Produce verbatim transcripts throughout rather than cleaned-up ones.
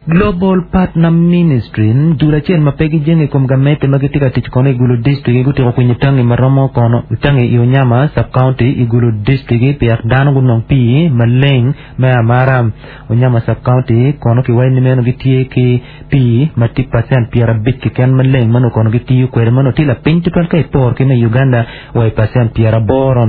Global Partner Ministry dul acel ma pe gijenge i kom gamente ma gitye ka tic kono i Gulu District gutiko kwinyo tangi ma romo kono tangi i Onyama sub-county i Gulu District piek dano gunong pii maleng me amara Onyama sub-county kono kiwaco ni meno gitye ki pii ma tye percent pyerabic keken maleng ma nongo kono gitiyo kwede ma nongo tye lapiny tutwal ka iporo ki me Uganda wa i percent pyeraboro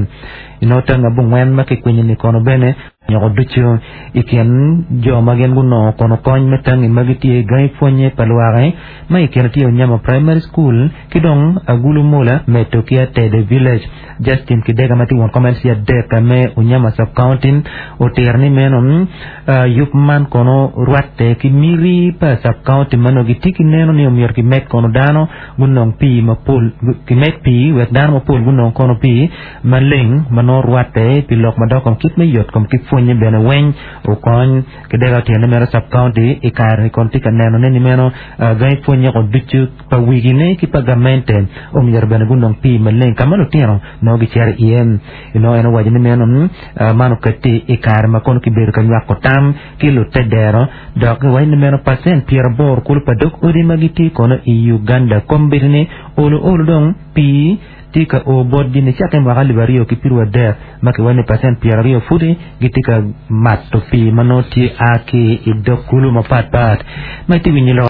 inongo tangi abongwen ma kikwinyo ni kono bene nyoko ducu i kin jo ma gin gunongo kono kony me tangi ma gitye gangi pwonye pa lwak ma i kine tye Onyama Primary School ki dong Agulu Mula medo ki Atede Village Justin Kidega ma tye won kom LC adek me Onyama Sub-County otiro ni meno uh, yub man kono rwatte ki miri pa sub-county ma nongo gitye ki neno ni omyero kimed kono dano gunong pii mapol kimed pii wek dano mapol gunong kono pii maleng ma nongo rwatte pi lok madok kom kit me yot kom ki pwonye bene weng okony Kidega otyene meno sub-county i kare ni kono tye ka neno ne ni meno uh, gangi pwonye ko ducu pa wigine ki pa gamente omyero bene gunong pii maleng ka ma lutino nongo gicito iye inongo en owaco ni meno uh, man oketi i kare ma kono kibedo ka nywako tam ki lutedero dok giwaco ni meno percent pyeraboro kulu pa dog odi ma gitye kono i Uganda kombeddi ni olo olo dong pii tye ka o botgi nicakke mwaka alip aryo ki piero adek ma kiwaco ni percent pyeraryo pudi gitye ka mato pii ma nongo tye a ki i dog kulu mapatpat ma itye winyo lok